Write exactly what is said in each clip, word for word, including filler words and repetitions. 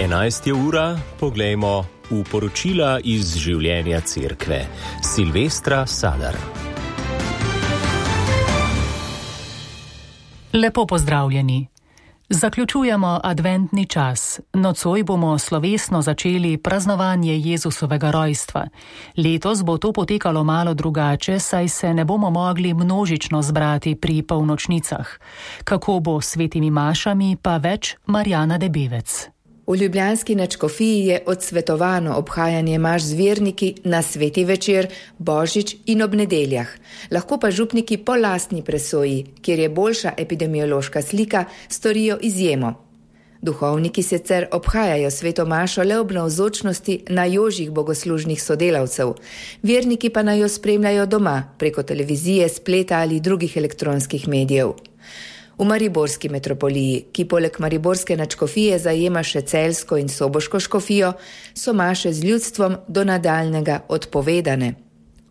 enajsta ura, poglejmo v poročila iz življenja cerkve. Silvestra Sadar. Lepo pozdravljeni. Zaključujemo adventni čas. Nocoj bomo slovesno začeli praznovanje Jezusovega rojstva. Letos bo to potekalo malo drugače, saj se ne bomo mogli množično zbrati pri polnočnicah. Kako bo s svetimi mašami, pa več Marjana Debevec. V ljubljanski nadškofiji je odsvetovano obhajanje maš z verniki na sveti večer, božič in ob nedeljah. Lahko pa župniki po lastni presoji, kjer je boljša epidemiološka slika, storijo izjemo. Duhovniki sicer obhajajo sveto mašo le ob navzočnosti najožjih bogoslužnih sodelavcev. Verniki pa naj jo spremljajo doma, preko televizije, spleta ali drugih elektronskih medijev. V mariborski metropoliji, ki poleg mariborske nadškofije zajema še celjsko in soboško škofijo, so maše z ljudstvom do nadaljnega odpovedane.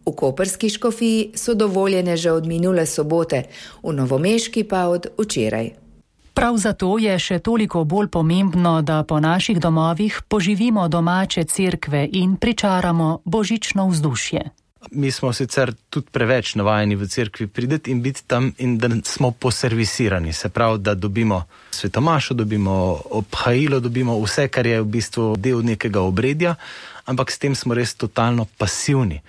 V koprski škofiji so dovoljene že od minule sobote, v novomeški pa od včeraj. Prav zato je še toliko bolj pomembno, da po naših domovih poživimo domače cerkve in pričaramo božično vzdušje. Mi smo sicer tudi preveč navajeni v cerkvi prideti in biti tam in da smo poservisirani. Se pravi, da dobimo svetomašo, dobimo obhajilo, dobimo vse, kar je v bistvu del nekega obredja, ampak s tem smo res totalno pasivni.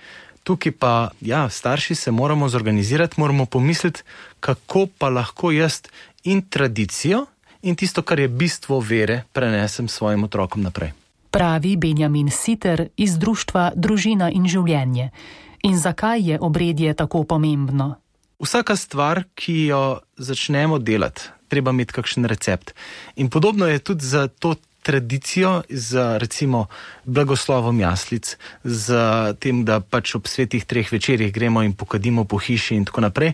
Tukaj pa, ja, starši se moramo zorganizirati, moramo pomisliti, kako pa lahko jaz in tradicijo in tisto, kar je bistvo vere, prenesem svojim otrokom naprej. Pravi Benjamin Siter iz društva Družina in življenje. In zakaj je obredje tako pomembno? Vsaka stvar, ki jo začnemo delati, treba imeti kakšen recept. In podobno je tudi za to tradicijo, za recimo blagoslovom jaslic, za tem, da pač ob svetih treh večerjih gremo in pokadimo po hiši in tako naprej.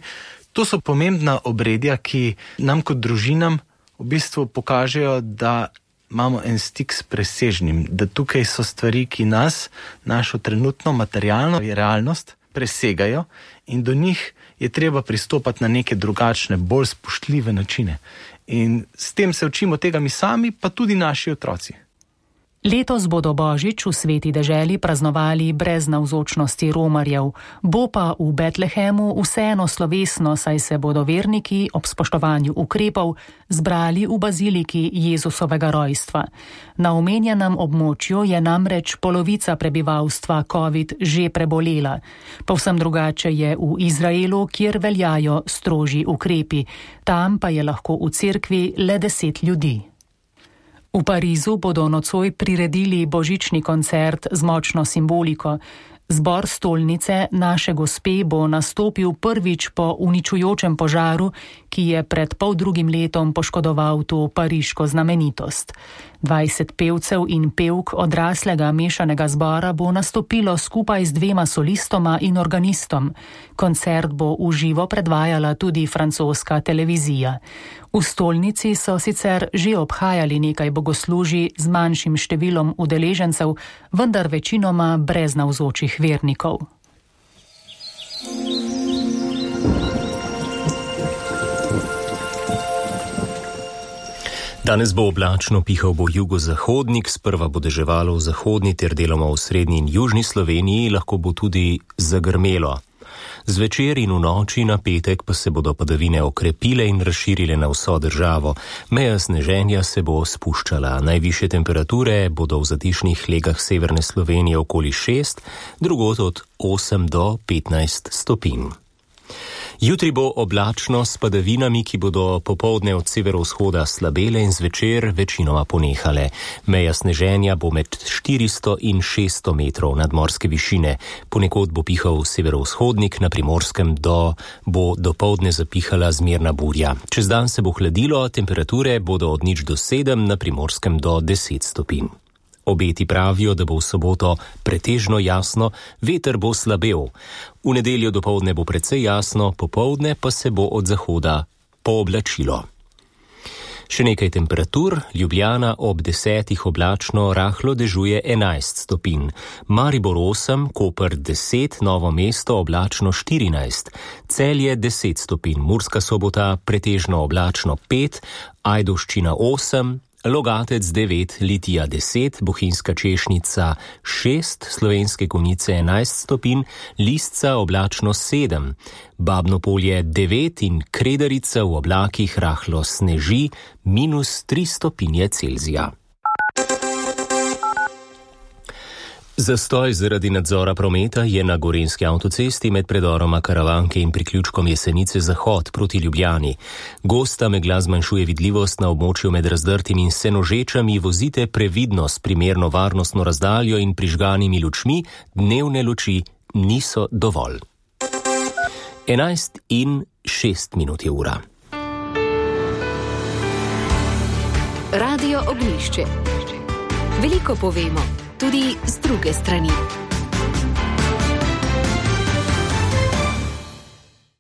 To so pomembna obredja, ki nam kot družinam v bistvu pokažejo, da imamo en stik s presežnim, da tukaj so stvari, ki nas, našo trenutno materialno realnost presegajo in do njih je treba pristopati na neke drugačne, bolj spoštljive načine. In s tem se učimo tega mi sami, pa tudi naši otroci. Letos bodo božič v sveti deželi praznovali brez navzočnosti romarjev, bo pa v Betlehemu vseeno slovesno, saj se bodo verniki ob spoštovanju ukrepov zbrali v baziliki Jezusovega rojstva. Na omenjenem območju je namreč polovica prebivalstva COVID že prebolela. Povsem drugače je v Izraelu, kjer veljajo strožji ukrepi. Tam pa je lahko v cerkvi le deset ljudi. V Parizu bodo nocoj priredili božični koncert z močno simboliko. Zbor stolnice Naše Gospe bo nastopil prvič po uničujočem požaru, ki je pred poldrugim letom poškodoval to pariško znamenitost. dvajset pevcev in pevk odraslega mešanega zbora bo nastopilo skupaj z dvema solistoma in organistom. Koncert bo v živo predvajala tudi francoska televizija. V stolnici so sicer že obhajali nekaj bogoslužij z manjšim številom udeležencev, vendar večinoma brez navzočih vernikov. Danes bo oblačno, pihal bo jugozahodnik, sprva bo deževalo v zahodni ter deloma v srednji in južni Sloveniji, lahko bo tudi zagrmelo. Zvečer in v noči na petek pa se bodo padavine okrepile in razširile na vso državo. Meja sneženja se bo spuščala. Najvišje temperature bodo v zatišnih legah severne Slovenije okoli šest, drugod od osem do petnajst stopinj. Jutri bo oblačno s padavinami, ki bodo popoldne od severovzhoda slabele in zvečer večinoma ponehale. Meja sneženja bo med štiristo in šeststo metrov nadmorske višine. Ponekod bo pihal severovzhodnik, na Primorskem do, bo dopoldne zapihala zmerna burja. Čez dan se bo hladilo, temperature bodo od nič do sedem, na Primorskem do deset stopinj. Obeti pravijo, da bo v soboto pretežno jasno, veter bo slabel. V nedeljo dopoldne bo precej jasno, popoldne pa se bo od zahoda pooblačilo. Še nekaj temperatur, Ljubljana ob desetih oblačno, rahlo dežuje enajst stopinj, Maribor osem, Koper deset, Novo mesto oblačno štirinajst, Celje deset stopinj, Murska Sobota pretežno oblačno pet, Ajdovščina osem, Logatec devet, Litija deset, Bohinjska češnica šest, Slovenske Konjice enajst stopinj, Listca oblačno sedem, Babno Polje devet in Kredarica v oblakih rahlo sneži minus tri stopinje Celzija. Zastoj zaradi nadzora prometa je na Gorenjski avtocesti med predoroma Karavanke in priključkom Jesenice Zahod proti Ljubljani. Gosta megla zmanjšuje vidljivost na območju med Razdrtim in Senožečami, vozite previdno s primerno varnostno razdaljo in prižganimi lučmi, dnevne luči niso dovolj. enajst in šest minut je ura. Radio Ognjišče. Veliko povemo, tudi z druge strani.